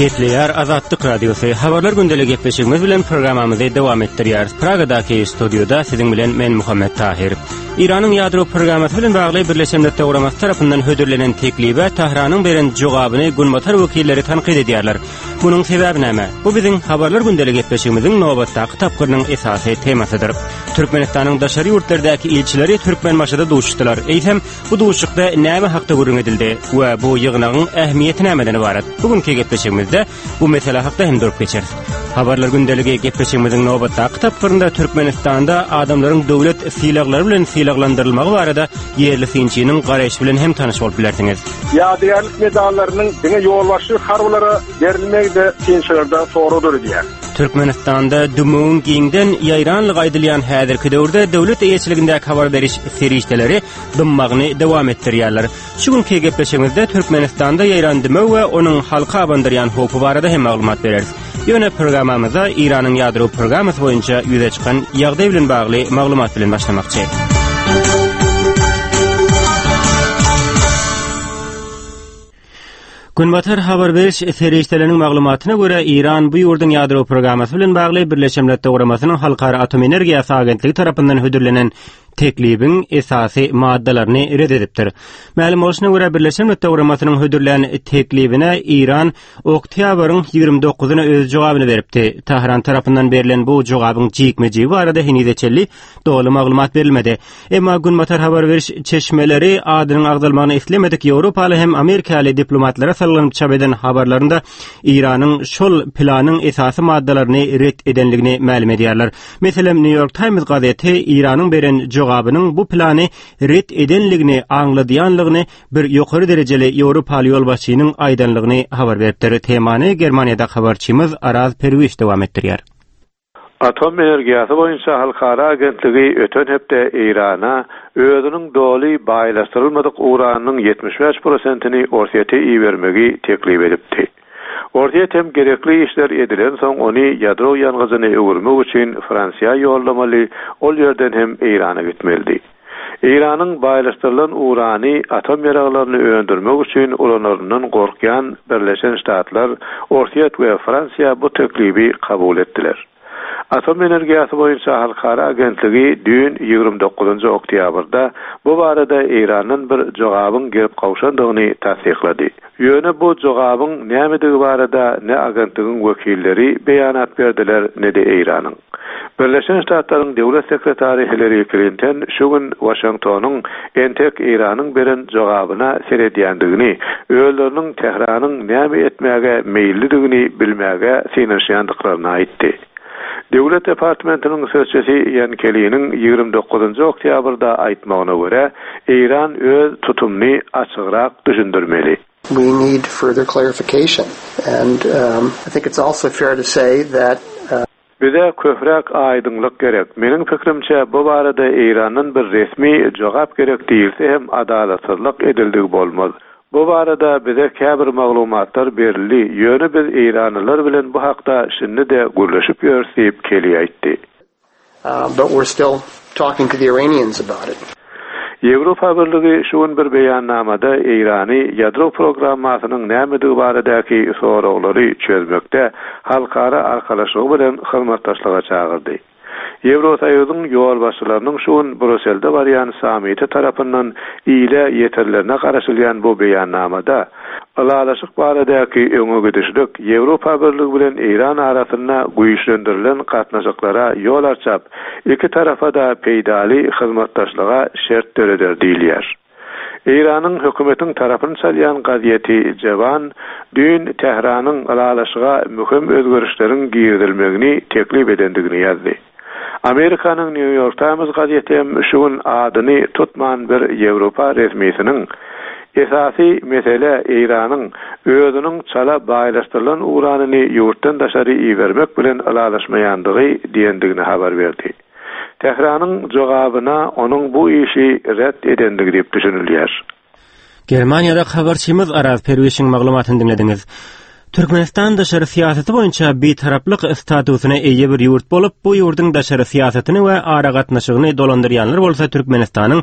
Gepleýär Azatlyk Radiosy. Habarlar gündeli gepleşigimiz bilen programmamyzy dowam etdirýäris. Pragadaky studiýada siziň bilen men Muhammet Tahir. Eýranyň ýadro programmasy bilen bagly Birleşen Milletler Guramasy tarapyndan hödürlenen teklibe Tahranyň beren jogabyny günbatar wekilleri tankyt edýärler. Munuň sebäbi näme? Bu biziň Habarlar gündeli gepleşigimiziň nobatdaky tapgyrynyň esasy temasydyr. Türkmenistanyň daşary ýurtlardaky ilçileri Türkmenbaşyda duşuşdylar. Eýsem, bu duşuşykda näme hakda gürrüň edildi we bu ýygnagyň ähmiýeti nämeden ybarat? Bu günki gepleşigimizde bu mesele hakda hem durup geçeris. Habarlar gündeligi gepleşigimiziň nobatdaky tapgyrynda Türkmenistanda adamlaryň döwlet sylaglary bilen sylaglandyrylmagy barada ýerli synçynyň garaýşy bilen hem tanyş bolup bilersiňiz. Ýadygärlik medallarynyň diňe ýolbaşçy harbylara berilmegi-de synçylarda sorag döredýär. Türkmenistanda dümewiň giňden ýaýranlygy aýdylýan häzirki döwürde döwlet eýeçiligindäki habar beriş serişdeleri dymmagyny dowam etdirýärler. Şu günki gepleşigimizde Türkmenistanda ýaýran dümew we onuň halka abandyrýan howpy barada hem maglumat bereris. Ýöne programmamyza Eýranyň ýadro programmasy boýunça ýüze çykan ýagdaý bilen bagly maglumat bilen başlamakçy. Günbatar habar beriş serişdeleriniň maglumatyna görä, Eýran bu ýurduň ýadro programmasy bilen bagly Birleşen Milletler Guramasynyň Halkara Atom Energiýasy Agentligi tarapyndan hödürlenen teklibiň esasy maddalaryny ret edipdir. Mälim bolşuna görä, Birleşen Milletler Guramasynyň hödürlän teklibine Eýran oktýabryň 29-na öz jogabyny beripdi. Tähran tarapyndan berlen bu jogabyň jikme-jigi barada henize çenli doly maglumat berilmedi. Emma Günbatar habar beriş çeşmeleri adynyň agzalmagyny islemedik ýewropaly hem amerikaly diplomatlara salgylanyp çap eden habarlarynda Eýranyň şol planyň esasy maddalaryny ret edenligini mälim edýärler. Meselem, New York Times gazeti Eýranyň beren jogabynyň bu plany ret edenligini aňladýanlygyny bir ýokary derejeli ýewropaly ýolbaşçynyň aýdanlygyny habar beripdir. Temany Germaniýadaky habarçymyz Araz Perwiş dowam etdirýär. Atom energiýasy boýunça halkara agentligi öten hepde Eýrana özüniň doly baýlaşdyrylmadyk uranynyň 75 prosentini Orsýete ibermegi teklip edipdi. Orsýet hem gerekli işler edilensoň ony ýadro ýangyjyna öwürmek üçin Fransiýa ýollamaly, ol ýerden hem Eýrana gitmelidi. Eýranyň baýlaşdyrylan urany atom ýaraglaryny öndürmek üçin ulanaryndan gorkýan Birleşen Ştatlar, Orsýet we Fransiýa bu teklibi kabul etdiler. Atom energiýasy boýunça halkara agentligi düýn, 29 oktýabrda, bu barada Eýrandan bir jogabyň gelip gowşandygyny tassyklady. Ýöne bu jogabyň nämedigi barada ne agentligiň wekilleri beýanat berdiler, ne-de Eýranyň. Birleşen Ştatlaryň Döwlet sekretary Hillari Klinton şu gün Waşingtonyň entek Eýranyň beren jogabyna seredýändigini, özleriniň Tähranyň näme etmäge meýillidigini bilmäge synanyşýandyklaryny aýtdy. Döwlet departamentiniň sözçüsi Ýan Keliniň 29 oktýabrda aýtmagyna görä, Eýran öz tutumyny açygrak düşündirmeli. We need further clarification and I think it's also fair to say that. Bize köpräk aýdyňlyk gerek. Meniň pikirimçe, bu barada Eýrandan bir resmi jogap gerek diýilse hem adalatsyzlyk edildigi bolmaz. Bu barada bize käbir maglumatlar berildi, ýöne biz eýranlylar bilen bu hakda şindi-de gürleşip ýörüs diýip, Kelly aýtdy. But we're still talking to the Iranians about it. Ýewropa Birligi şu gün bir beýannamada Eýrany ýadro programmasynyň nämedigi baradaky soraglary çözmekde halkara arkalaşygy bilen hyzmatdaşlyga çagyrdy. Ýewrosoýuzyň ýolbaşçylarynyň şu gün Bruselde barýan sammiti tarapyndan ile ýetirilerine garaşylýan bu beýannamada, ylalaşyk baradaky öňe gidişlik Ýewropa Birligi bilen Eýran arasynda güýçlendirilen gatnaşyklara ýol arçap, iki tarapa-da peýdaly hyzmatdaşlyga şert döreder diýilýär. Eýranyň hökümetiň tarapyny çalýan gazeti Jewan düýn Tähranyň ylalaşyga möhüm özgerişleriň girizilmegini teklip edendigini ýazdy. Amerikanyň New York Times gazeti hem şu gün adyny tutman bir ýewropa resmisiniň, Esasy mesele Eýranyň özüniň çala baýlaşdyrylan uranyny ýurtdan daşary ibermek bilen ylalaşmaýandygy diýendigini habar berdi. Tähranyň jogabyna onuň bu işi ret edendigi diýip düşünilýär. Germaniýada habarçymyz Araz Perwişiň maglumatyny diňlediňiz. Türkmenistan daşary syýasaty boýunça bitaraplyk statusyna eýe bir ýurt bolup, bu ýurduň daşary syýasatyny we aragatnaşygyny dolandyrýanlar bolsa Türkmenistanyň.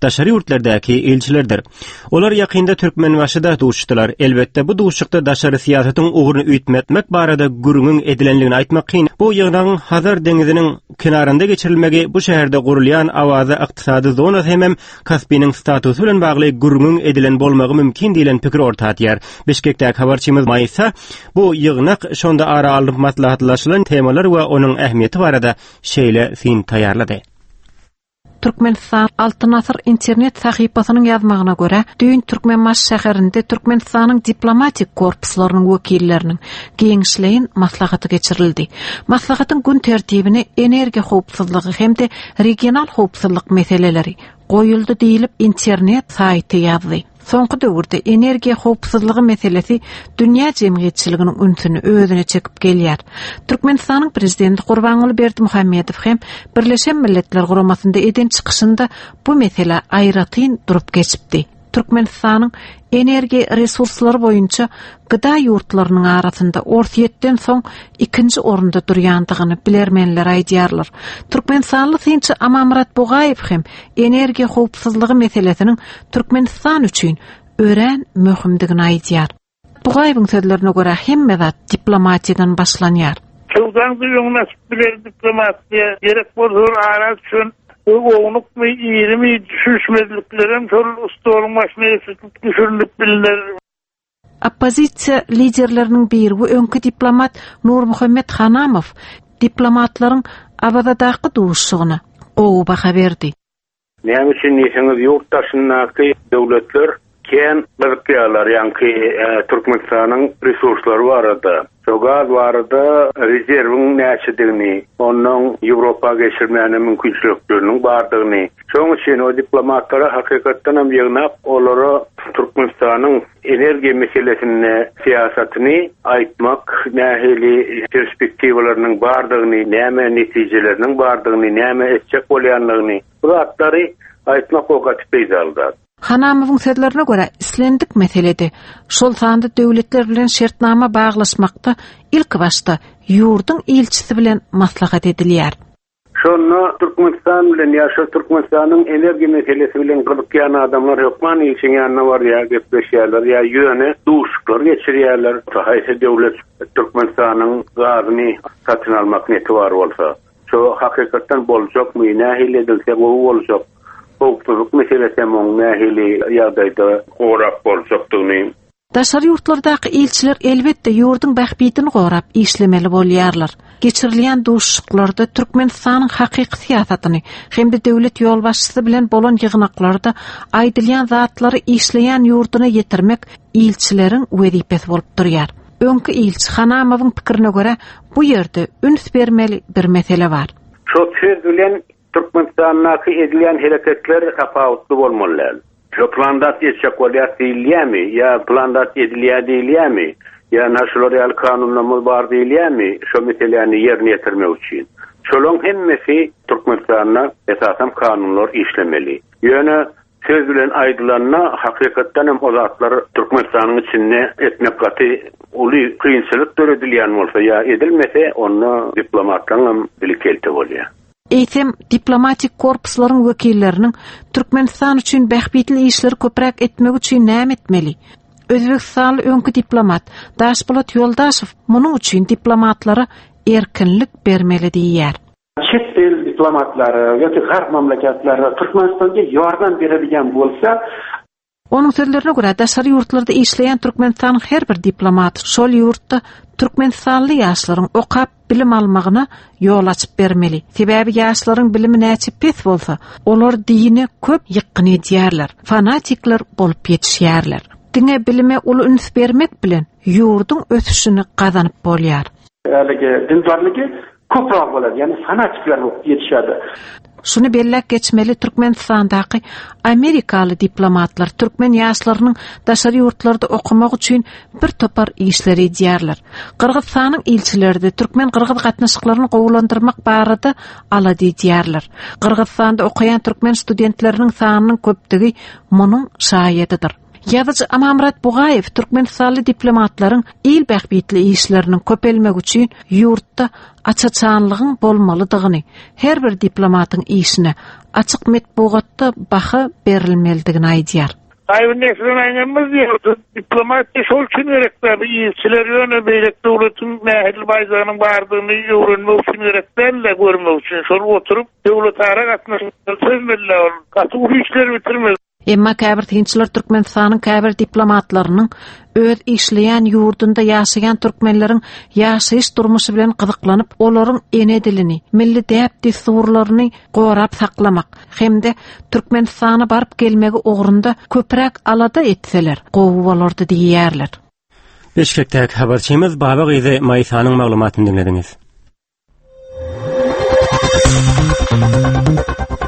daşary ýurtlardaky ilçilerdir. Olar ýakynda Türkmenbaşyda duşuşdylar. Elbetde, bu duşuşykda daşary syýasatyň ugruny üýtmetmek barada gürrüňiň edilenligini aýtmak kyn. Bu ýygnagyň Hazar deňziniň kenarynda geçirilmegi bu şäherde gurulýan Awaza ykdysady zonasy hemem Kaspiniň statusy bilen bagly gürrüňiň edilen bolmagy mümkin diýlen pikir orta atýar. Bişkekdäki habarçymyz Maýsa bu ýygnak, şonda ara alnyp maslahatlaşylan temalar we onuň ähmiýeti barada şeýle syn taýýarlady. Türkmenistan Altyn asyr internet sahypasynyň ýazmagyna görä, düýn Türkmenbaşy şäherinde Türkmenistanyň diplomatik korpuslarynyň wekilleriniň giňişleýin maslahaty geçirildi. Maslahatyň gün tertibine energiýa howpsuzlygy hem-de regional howpsuzlyk meseleleri goýuldy diýlip, internet saýty ýazdy. Soňky döwürde energiýa howpsuzlygy meselesi dünýä jemgyýetçiliginiň ünsüni özüne çekip gelýär. Türkmenistanyň Prezidenti Gurbanguly Berdimuhamedow hem Birleşen Milletler Guramasynda eden çykyşynda bu meselä aýratyn durup geçipdi. Türkmenistanyň energiýa resurslary boýunça GDA ýurtlarynyň arasynda Orsýetden soň ikinji orunda durýandygyny bilermenler aýdýarlar. Türkmenistanly synçy Amanmyrat Bugaýew hem energiýa howpsuzlygy meselesiniň Türkmenistan üçin örän möhümdigini aýdýar. Bugaýewiň sözlerine görä, hemme zat diplomatiýadan başlanýar. Söwdaň-da öňüni açyp biler diplomatiýa. Gerek bolsa ol ara düşen ownukmy, irimi düşünişmezliklerem şol stoluň başyna eltilip düşürilip bilner. Oppozisiýa liderleriniň biri we öňki diplomat Nurmuhammet Hanamow diplomatlaryň Awazadaky duşuşygyna gowy baha berdi. Näme üçin diýseňiz, ýurt daşyndaky döwletler kän gyzykýarlar ýaňky Türkmenistanyň resurslary barada. Şo gaz barada rezerwiň näçedigini, ondan Ýewropa geçirmäne mümkinçilikleriniň bardygyny. Şonuň üçin o diplomatlary hakykatdan hem ýygnap, olara Türkmenistanyň energiýa meselesinde syýasatyny aýtmak, nähili perspektiwalarynyň bardygyny, näme netijeleriniň bardygyny, näme etjek bolýandygyny, bu zatlary aýtmak o gaty peýdaly zat. Hanamowyň sözlerine görä, islendik meselede, şol sanda döwletler bilen şertnama baglaşmakda ilkibaşda ýurduň ilçisi bilen maslahat edilýär. Şonda Türkmenistan bilen ýa şol Türkmenistanyň energiýa meselesi bilen gyzykýan adamlar hökman ilçiň ýanyna barýar, gepleşýärler ýa ýöne duşuşyklar geçirýärler. Haýsy döwlet Türkmenistanyň gazyny satyn almak neti bar bolsa, şo hakykatdan boljakmy, nähili edilse gowy boljak, howpsuzlyk meselesi hem oň nähili ýagdaýda gorap boljakdygyny. Daşary ýurtlardaky ilçiler elbetde ýurduň bähbidini gorap işlemeli bolýarlar. Geçirilýän duşuşyklarda Türkmenistanyň hakyky syýasatyny hem-de döwlet ýolbaşçysy bilen bolan ýygnaklarda aýdylýan zatlary işleýän ýurduna ýetirmek ilçileriň wezipesi bolup durýar. Öňki ilçi Hanamowyň pikirine görä, bu ýerde üns bermeli bir mesele bar. Şo söz bilen Türkmenistandaky edilýän hereketler tapawutly bolmaly däl. Şo plan zat etjek bolýas diýilýämi ýa plan zat edilýä diýilýämi ýa na şular ýaly kanunlarymyz bar diýilýämi şo meseläni ýerine ýetirmek üçin. Şolaň hemmesi Türkmenistanda esasam kanunlar işlemeli. Ýöne söz bilen aýdylanda hakykatdan hem o zatlar Türkmenistanyň içinde etmek gaty uly kynçylyk döredilýän bolsa ýa edilmese onda diplomatlaryň hem dili kelte bolýar. Eýsem, diplomatik korpuslaryň wekilleriniň Türkmenistan üçin bähbitli işleri köpräk etmegi üçin näme etmeli? Özbegistanly öňki diplomat Daşpolat Ýoldaşow munuň üçin diplomatlara erkinlik bermeli diýýär. Çet el diplomatlary ýa-da garp mamlakatları Türkmenistanda ýardam beredigen bolsa, Onuň sözlerine görä, daşary ýurtlarda işleýän Türkmenistanyň her bir diplomaty şol ýurtda türkmenistanly ýaşlaryň okap, bilim almagyna ýol açyp bermeli. Sebäbi ýaşlaryň bilimi näçe pes bolsa, olar dine köp ýykgyn edýärler, fanatikler bolup ýetişýärler. Diňe bilime uly üns bermek bilen ýurduň ösüşini gazanyp bolýar. Haligi dindarlygy köpräk bolady, ýagny fanatikler bolup ýetişýärdi. Şuny belläp geçmeli, Türkmenistandaky amerikaly diplomatlar türkmen ýaşlarynyň daşary ýurtlarda okamagy üçin bir topar işleri edýärler. Gyrgyzystanyň ilçileri-de türkmen-gyrgyz gatnaşyklaryny gowulandyrmak barada alada edýärler. Gyrgyzystanda okaýan türkmen studentleriniň sanynyň köpdügi munuň şaýadydyr. Ýazyjy Amanmyrat Bugaýew türkmenistanly diplomatlaryň il bähbitli işleriniň köpelmegi üçin ýurtda aç-açanlygyň bolmalydygyny, her bir diplomatyň işine açyk metbugatda baha berilmelidigini aýdýar. Gaýybyn nesliň aýňalmaz diýýär. Diplomatiýa şol üçin gerek däl. Bu ilçiler ýöne beýleki döwletiň nähili baýdagynyň bardygyny öwrenmek üçin gerek däl-de, görmek üçin. Şol oturyp döwletara gatnaşyklary çözmeli-dä ol. Gaty uly işleri bitirmeli. Emma käbir synçylar Türkmenistanyň käbir diplomatlarynyň öz işleýän ýurdunda ýaşaýan türkmenleriň ýaşaýyş durmuşy bilen gyzyklanyp, olaryň ene dilini, milli däp-dessurlaryny gorap saklamak hem-de Türkmenistana baryp gelmegi ugrunda köpräk alada etseler, gowy bolardy diýýärler. Bişkekdäki habarçymyz Baba gyzy Maýsanyň maglumatyny diňlediňiz.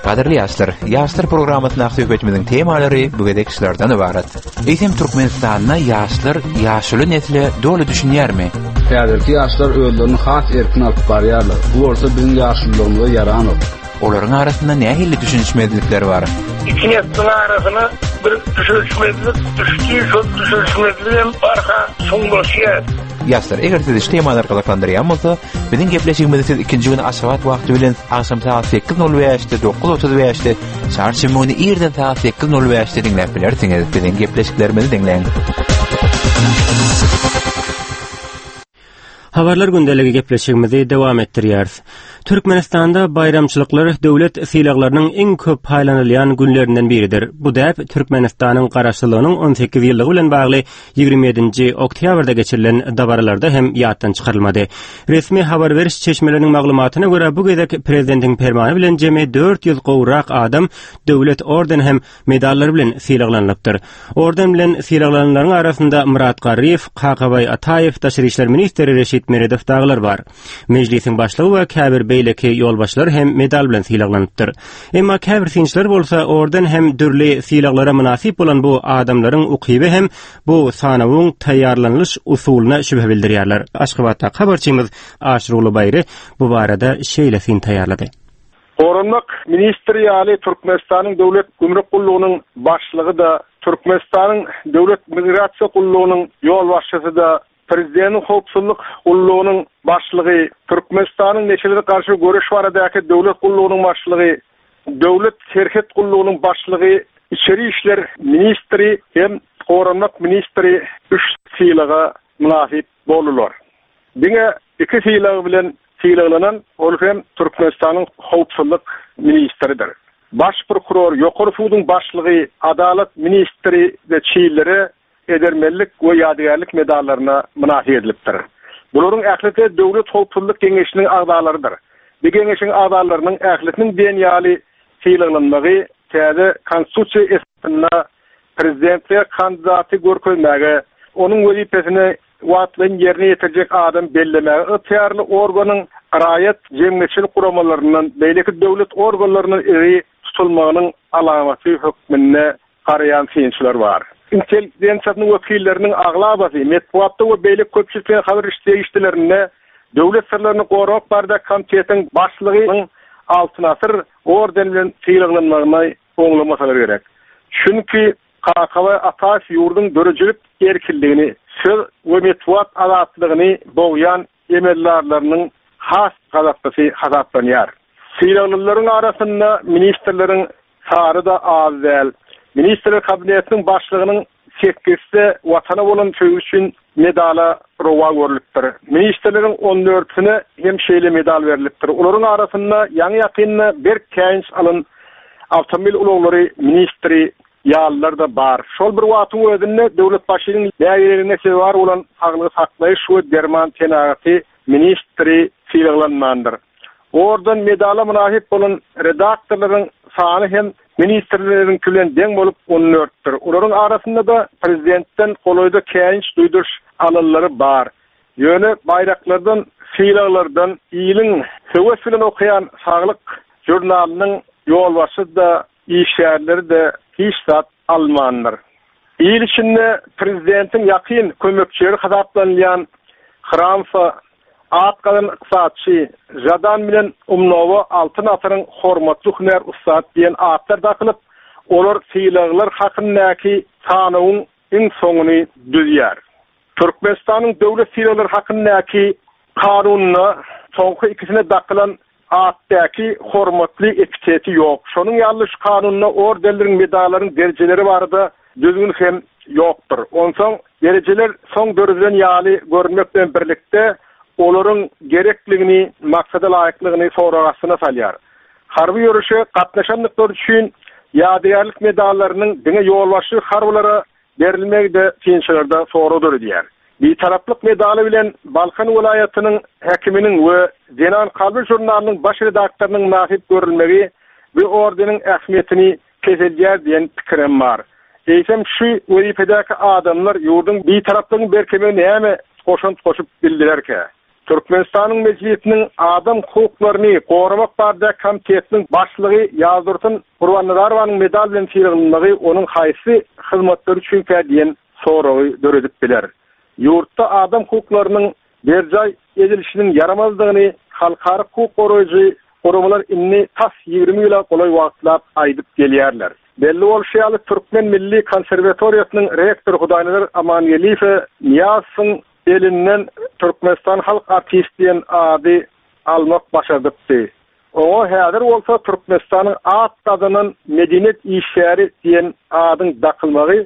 Gadyrly ýaşlar, Ýaşlar programmasyndaky söhbetimiziň temalary bu gezek şulardan ybarat. Eýsem Türkmenistanda ýaşlar ýaşuly nesle doly düşünýärmi? Häzirki ýaşlar özlerini has erkin alyp barýarlar. Bu bolsa biziň ýaşululygymyza ýaranok. Olaryň arasynda nähili düşünişmezlikler bar? Iki nesliň arasyna bir düşünişmezlik düşdi, şol düşünişmezlik hem barha çuňlaşýar. Ýaşlar, eger sizi şu temalar gyzyklandyrýan bolsa, biziň gepleşigimizi siz ikinji gün Aşgabat wagty bilen agşam sagat 8:05-de, 9:35-de, çarşenbe güni irden sagat 8:05-de diňläp bilersiňiz. Biziň gepleşiklerimizi diňläň. Habarlar gündeligi gepleşigimizi dowam etdirýäris. Türkmenistanda baýramçylyklar döwlet sylaglarynyň iň köp paýlanylýan günlerinden biridir. Bu däp Türkmenistanyň Garaşsyzlygynyň 18 ýyllygy bilen bagly 27-nji oktýabrda geçirilen dabaralarda hem ýatdan çykarylmady. Resmi habar beriş çeşmeleriniň maglumatyna görä, bu gezek prezidentiň permany bilen jemi 400 gowrak adam döwlet orden hem medallar bilen sylaglanylypdyr. Orden bilen sylaglananlaryň arasynda Myrat Garryýew, Kakabaý Ataýew, daşary işler ministri Reşit Meredow dagylar bar. Mejlisiň başlygy we käbir beýleki ýolbaşçylar hem medal bilen sylaglanypdyr. Emma käbir synçylar bolsa orden hem dürli sylaglara mynasyp bolan bu adamlaryň ukyby hem bu sanawyň taýýarlanylyş usulyna şübhe bildirýärler. Aşgabatdaky habarçymyz Aşyrguly Baýry bu barada şeýle syn taýýarlady. Goranmak ministri ýaly Türkmenistanyň Döwlet gümrük gullugynyň başlygy-da, Türkmenistanyň Döwlet migrasiýa gullugynyň ýolbaşçysy-da, Prezidentiň howpsuzlyk gullugynyň başlygy, Türkmenistanyň neşelere garşy göreş baradaky döwlet gullugynyň başlygy, Döwlet serhet gullugynyň başlygy, içeri işler ministri hem goranmak ministri üç sylaga mynasyp boldular. Diňe iki sylag bilen sylaglanan ol hem Türkmenistanyň howpsuzlyk ministridir. Baş prokuror, Ýokary suduň başlygy, adalat ministri we çillere edermenlik we ýadygärlik medallaryna mynasyp edilipdir. Bularyň ählisi Döwlet howpsuzlyk geňeşiniň agzalarydyr. Bu geňeşiň agzalarynyň ählisiniň diýen ýaly sylaglanmagy täze Konstitusiýa esasynda prezidentlige kandidaty görkezmäge, onuň wezipesini wagtlaýyn ýerine ýetirjek adam bellemäge ygtyýarly organyň raýat jemgyýetçilik guramalaryndan, beýleki döwlet organlaryndan iri tutulmagynyň alamaty hökmünde garaýan synçylar bar. Intelligensiýasynyň wekilleriniň aglabasy metbugatda we beýleki köpçülikleýin habar beriş serişdelerinde Döwlet syrlaryny goramak baradaky komitetiň başlygynyň Altyn asyr ordeni bilen sylaglanmagyny oňlamasalar gerek. Çünki Kakabaý Ataýew ýurduň döredijilik erkinligini, söz we metbugat azatlygyny bogýan emeldarlarynyň has gazaplysy hasaplanýar. Sylaglylaryň arasynda ministrleriň sany-da az däl. Ministrler Kabinetiniň başlygynyň sekizisi Watana bolan söýgüsi üçin medala rowa görlüpdir. Ministrleriň on dördüsine hem şeýle medal berlipdir. Olaryň arasynda ýaňy-ýakynda berk käýinç alan awtomobil ulaglary ministri ýalylar-da bar. Şol bir wagtyň özünde Döwletbaşynyň nägileligine sezewar bolan saglygy saklaýyş we derman senagaty ministri sylaglanmandyr. Orden medala mynasyp bolan redaktorlaryň sany hem ministrleriňki bilen deň bolup on dörtdür. Olaryň arasynda-da prezidentden golaýda käýinç duýduryş alanlary bar. Ýöne baýraklardan, sylaglardan iliň höwes bilen okaýan Saglyk žurnalynyň ýolbaşçysy-da, işgärleri-de hiç zat almandyr. Il içinde prezidentiň ýakyn kömekçileri hasaplanylýan Hramfa, at gazanan ykdysatçy Žadan bilen Umnowa Altyn asyryň hormatly hünär ussady diýen atlar dakylyp, olar sylaglar hakyndaky. sanawyň iň soňuny düzýär. Türkmenistanyň döwlet sylaglary hakyndaky Kanunda soňky ikisine dakylan atdaky hormatly epiteti ýok. Şonuň ýaly şu kanunda ordenleriň, medallaryň derejeleri barada düzgün hem ýokdur. Onsoň derejeler soň döredilen ýaly görünmek bilen birlikde, olaryň gerekligini, maksada laýyklygyny sorag astyna salýar. Harby ýörişe gatnaşandyklary üçin ýadygärlik medallarynyň diňe ýolbaşçy harbylara berilmegi-de synçylarda sorag döredýär. Bitaraplyk medaly bilen Balkan welaýatynyň häkiminiň we Zenan kalby žurnalynyň baş redaktorynyň mynasyp görülmegi bu ordeniň ähmiýetini peseldýär diýen pikirem bar. Eýsem şu wezipedäki adamlar ýurduň Bitaraplygyň berkemegine näme goşant goşup bildilerkä? Türkmenistanyň Mejlisiniň Adam hukuklaryny goramak baradaky komitetiniň başlygy Ýazdursun Gurbannazarowanyň medal bilen sylaglanmagy onuň haýsy hyzmatlary üçinkä diýen soragy döredip biler. Ýurtda adam hukuklarynyň berjaý edilişiniň ýaramazdygyny halkara hukuk goraýjy guramalar indi tas 20 ýyla golaý wagtlap aýdyp gelýärler. Belli bolşy ýaly, Türkmen milli konserwatoriýasynyň rektory Hudaýnazar Amangeldiýewe Nyýazowyň Elinden Türkmenistan halk artisti diýen ady almak başardypdy. Oňa häzir bolsa Türkmenistanyň at gazanan medeniýet işgäri diýen adyň dakylmagy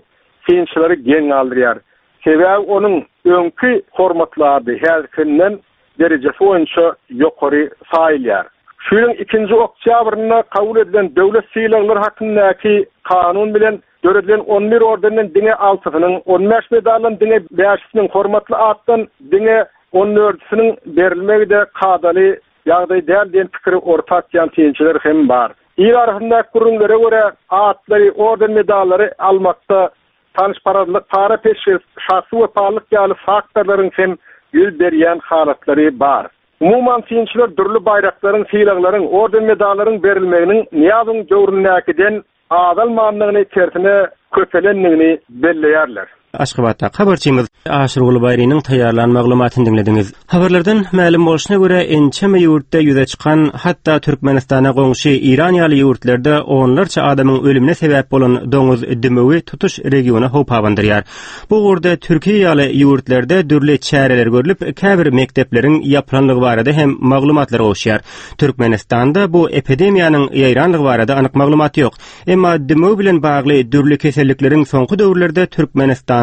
synçylary geň galdyrýar. Sebäbi onuň öňki hormatly ady häzirkinden derejesi boýunça ýokary saýylýar. Şu ýylyň ikinji oktýabrynda kabul edilen Döwlet sylaglary hakyndaky kanun bilen Döredilen on bir ordenden diňe altysynyň, on bäş medaldan diňe bäşisiniň, hormatly atdan diňe on dördüsiniň berilmegi-de kadaly ýagdaý däl diýen pikiri orta atýan synçylar hem bar. Il arasyndaky gürrüňlere görä, atlary, orden-medallary almakda tanyşparazlyk, para-peşgeş, şahsy wepalylyk ýaly faktorlaryň hem ýüz berýän halatlary bar. Umuman, synçylar dürli baýraklaryň, sylaglaryň, orden-medallaryň berilmeginiň Nyýazowyň döwründäkiden azalmandygyny, tersine köpelendigini belleýärler. Aşgabatdaky habarçymyz Aşyrguly Baýrynyň taýýarlan maglumatyny diňlediňiz. Habarlardan mälim bolşuna görä, ençeme ýurtda ýüze çykan, hatda Türkmenistana goňşy Eýran ýaly ýurtlarda onlarça adamyň ölümine sebäp bolan doňuz dümewi tutuş regiona howp abandyrýar. Bu ugurda Türkiýe ýaly ýurtlarda dürli çäreler görlüp, käbir mekdepleriň ýapylandygy barada hem maglumatlar gowuşýar. Türkmenistanda bu epidemiýanyň ýaýranlygy barada anyk maglumat ýok. Emma dümew bilen bagly dürli kesellikleriň soňky döwürlerde Türkmenistanda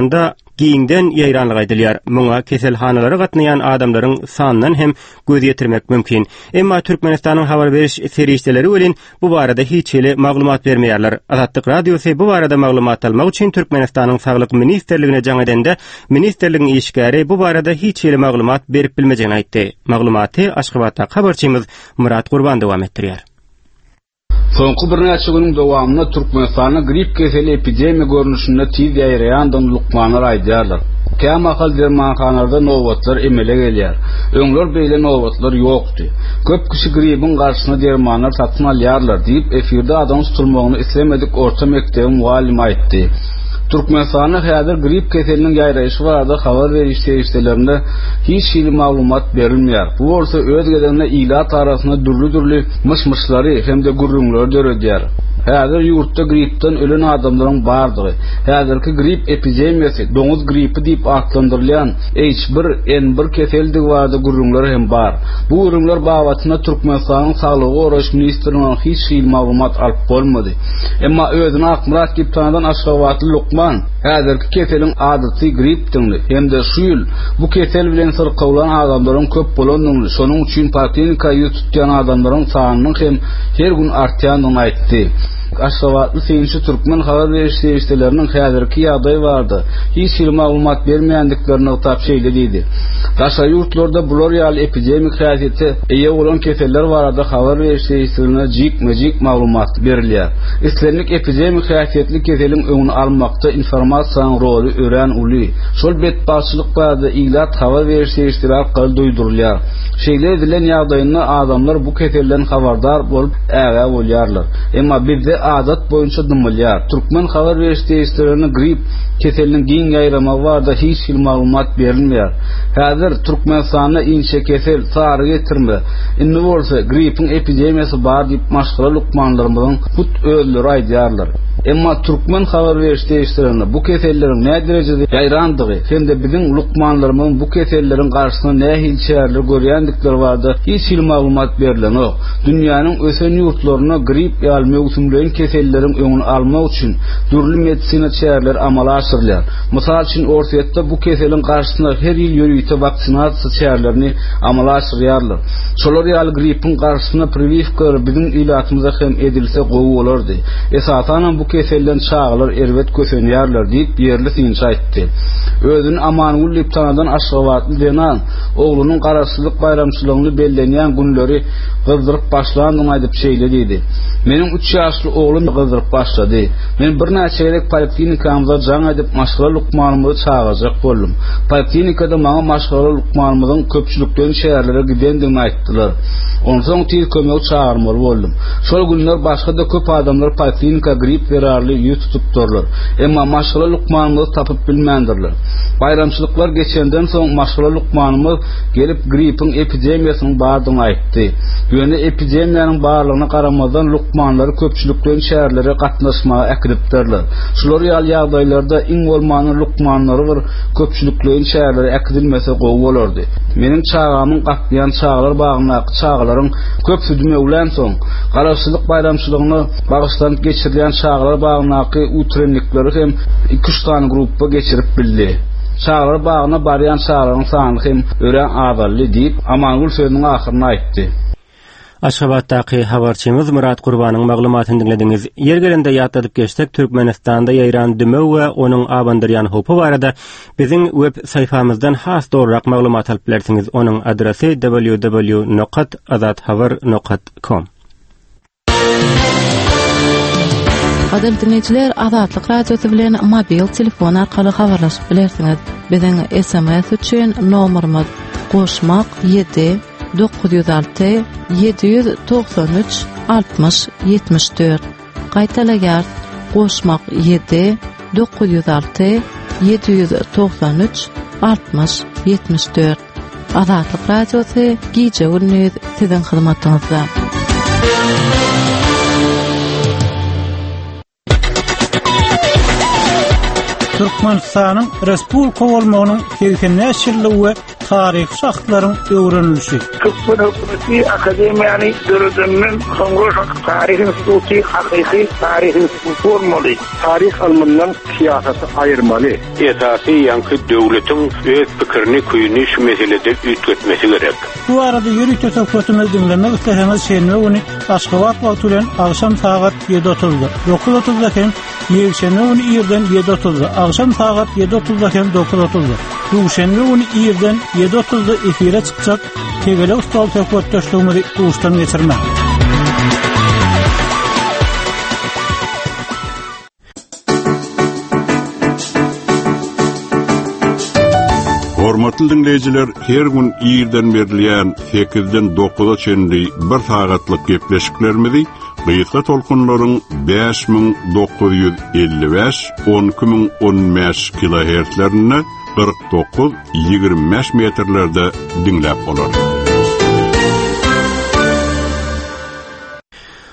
giňden ýaýranlygy aýdylýar. Muňa keselhanalara gatnaýan adamlaryň sanyndan hem göz ýetirmek mümkin. Emma Türkmenistanyň habar beriş serişdeleri welin bu barada hiç hili maglumat bermeýärler. Azatlyk Radiosy bu barada maglumat almak üçin Türkmenistanyň Saglyk ministrligine jaň edende, ministrligiň işgäri bu barada hiç hili maglumat berip bilmejegini aýtdy. Maglumaty Aşgabatdaky habarçymyz Myrat Gurban dowam etdirýär. Soňky birnäçe günüň dowamynda Türkmenistanda grip keseli epidemiýa görnüşinde tiz ýaýraýandygyny lukmanlar aýdýarlar. Kämahal dermanhanalarda nobatlar emele gelýär. Öňler beýle nobatlar ýokdy. Köp kişi gribiň garşysyna dermanlar satyn alýarlar diýip, efirde adynyň tutulmagyny islemedik orta mekdebiň mugallymy aýtdy. Türkmenistanda häzir grip keseliniň ýaýraýşy barada habar beriş serişdelerinde hiç hili maglumat berilmeýär. Bu bolsa öz gezeginde ilat arasynda dürli-dürli myş-myşlary hem-de gürrüňleri döredýär. Häzir ýurtda gripden ölen adamlaryň bardygy, häzirki grip epidemiýasy doňuz gripi diýip atlandyrylýan H1N1 keseldigi barada gürrüňler hem bar. Bu gürrüňler babatynda Türkmenistanyň Saglygy goraýyş ministrliginden hiç hili maglumat alyp bolmady. Emma özüni Akmyrat diýip tanadan aşgabatly lukman häzirki keseliň adaty gripdigini hem-de şu ýyl bu kesel bilen syrkawlan adamlaryň köp bolandygyny, şonuň üçin poliklinika ýüz tutýan adamlaryň sanynyň hem her gün artýandygyny aýtdy. Aşgabatly synçy türkmen habar beriş serişdeleriniň häzirki ýagdaý barada hiç hili maglumat bermeýändiklerini nygtap şeýle diýdi, Daşary ýurtlarda bular ýaly epidemik häsiýete eýe bolan keseller barada habar beriş serişdelerinde jikme-jik maglumat berilýär. Islendik epidemik häsiýetli keseliň öňüni almakda informasiýanyň roly örän uly. Şol betbagtçylyk barada ilat habar beriş serişdeleri arkaly duýdurylýar. Şeýle edilen ýagdaýynda adamlar bu keselden habardar bolup, ägä bolýarlar. Emma bizde adat boýunça dymylýar. Türkmen habar beriş serişdelerinde grip keseliniň giň ýaýramagy barada hiç hili maglumat berilmeýär. Häzir Türkmenistanda inçekesel, sary getirme, indi bolsa gripiň epidemiýasy bar diýip maşgala lukmanlarymyzyň hut özleri aýdýarlar. Emma türkmen habar beriş serişdelerinde bu keselleriň näderejede ýaýrandygy hem-de biziň lukmanlarymyzyň bu keselleriň garşysyna nähili çäreler görýändikleri barada hiç hili maglumat berlenok. Dünýäniň ösen ýurtlarynda grip ýaly möwsümleýin keselleriň öňüni almak üçin dürli medisina çäreleri amala aşyrylýar. Mysal üçin, Orsýetde bu keseliň garşysyna her ýyl ýörite waksinasiýa çärelerini amala aşyrýarlar. Şolar ýaly gripiň garşysyna priwiwkalar biziň ilatymyza hem edilse gowy bolardy. Esasanam bu keselden çagalar erbet kösenýärler diýip, ýerli synçy aýtdy. Özüni Amangül diýip tanadan aşgabatly zenan oglunyň Garaşsyzlyk baýramçylygyny bellenýän günleri gyzdyryp başlandygyny aýdyp şeýle diýdi, Meniň üç ýaşly oglum gyzdyryp başlady. Men birnäçe gezek poliklinikamyza jaň edip maşgala lukmanymyzy çagyrjak boldum. Poliklinikada maňa maşgala lukmanymyzyň köpçülikleýin çärelere gidendigini aýtdylar. Onsoň tiz kömegi çagyrmaly boldum. Şol günler başga-da köp adamlar poliklinika grip zerarly ýüz tutupdyrlar. Emma maşgala lukmanymyzy tapyp bilmändirler. Baýramçylyklar geçenden soň maşgala lukmanymyz gelip gripiň epidemiýasynyň bardygyny aýtdy. Ýöne epidemiýanyň barlygyna garamazdan lukmanlary köpçülikleýin çärelere gatnaşmaga äkidipdirler. Şular ýaly ýagdaýlarda iň bolmanda lukmanlary bir köpçülikleýin çärelere äkidilmese gowy bolardy. Meniň çagamyň gatnaýan çagalar bagyndaky çagalaryň köpüsi dümewlänsoň, Garaşsyzlyk baýramçylygyna bagyşlanyp geçirilýän çagalar bagyndaky utrennikleri hem iki-üç sany grupba geçirip bildi. Çagalar bagyna barýan çagalaryň sany hem örän azaldy diýip, Amangül sözüniň ahyrynda aýtdy. Aşgabatdaky habarçymyz Myrat Gurbanyň maglumatyny diňlediňiz. Ýeri gelende ýatladyp geçsek, Türkmenistanda ýaýran dümew we onuň abandyrýan howpy barada biziň web saýfamyzdan has dolurak maglumat alyp bilersiňiz. Onuň adresi www nokat azathabar nokat com. Gadyrly diňleýjiler, Azatlyk Radiosy bilen mobil telefon arkaly habarlaşyp bilersiňiz. Biziň SMS üçin nomerimiz goşmak 7 906 793 60 74. Gaýtalaýarys, goşmak 7 906 793 60 74. Azatlyk Radiosy gije-gündiz siziň hyzmatyňyzda. Türkmenistanyň respublika bolmagynyň 85 ýyllygy we taryhy şahslaryň öwrenilişi. Türkmen hökümeti akademiýany döredenden soňra şol taryh instituty hakyky taryh instituty bolmaly. Taryh ylmyndan syýasaty aýyrmaly. Esasy ýaňky döwletiň öz pikirini küýüni şu meselede üýtgetmesi gerek. Bu barada ýörite söhbetimizi diňlemek isleseňiz şenbe güni Aşgabat wagty bilen agşam sagat ýedi otuzda, dokuz otuzda hem ýekşenbe güni irden ýedi otuzda, agşam sagat ýedi otuzda hem dokuz otuzda, duşenbe güni irden ýedi otuzda efire çykjak Tegelek stol söhbetdeşligimizi duşdan geçirmäň. Hormatly diňleýjiler, her gün irden berilýän 8-den 9-a çenli bir sagatlyk gepleşiklerimizi gysga tolkunlaryň 5955, 12015 kilohertzlerinde 49, 25 metrlerde diňläp bolar.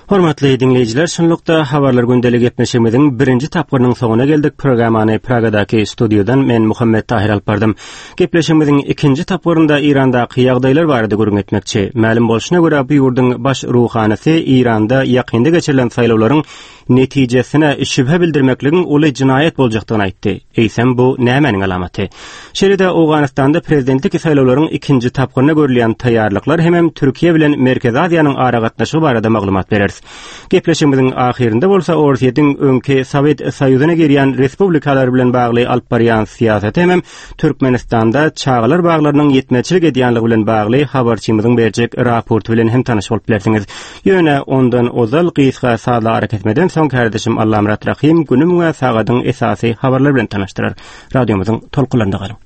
Hormatly diňleýjiler, şunlukda Habarlar gündeli gepleşigimiziň birinji tapgyrynyň soňuna geldik. Programmany Pragadaky studiýadan men Muhammet Tahyr alyp bardym. Gepleşigimiziň ikinji tapgyrynda Eýrandaky ýagdaýlar barada gürrüň etmekçi. Mälim bolşuna görä, bu ýurduň baş ruhanysy Eýranda ýakynda geçirilen saýlawlaryň netijesine şübhe bildirmekligiň uly jenaýat boljakdygyny aýtdy. Eýsem, bu nämäniň alamaty? Şeýle-de Owganystanda prezidentlik saýlawlaryň ikinji tapgyryna görülýän taýýarlyklar hemem Türkiýe bilen Merkezi Aziýanyň aragatnaşygy barada maglumat bereris. Gepleşigimiziň ahyrynda bolsa Orsýetiň öňki Sowet Soýuzyna girýän respublikalar bilen bagly alyp barýan syýasaty hemem Türkmenistanda çagalar baglarynyň ýetmezçilik edýänligi bilen bagly habarçymyzyň berjek raporty bilen hem tanyş bolup bilersiňiz. Ýöne ondan ozal gysga sazly arakesmeden soň kärdeşim Allamyrat Rahym günüň we sagadyň esasy habarlary bilen tanyşdyrar. Radiomyzyň tolkunlarynda galyň.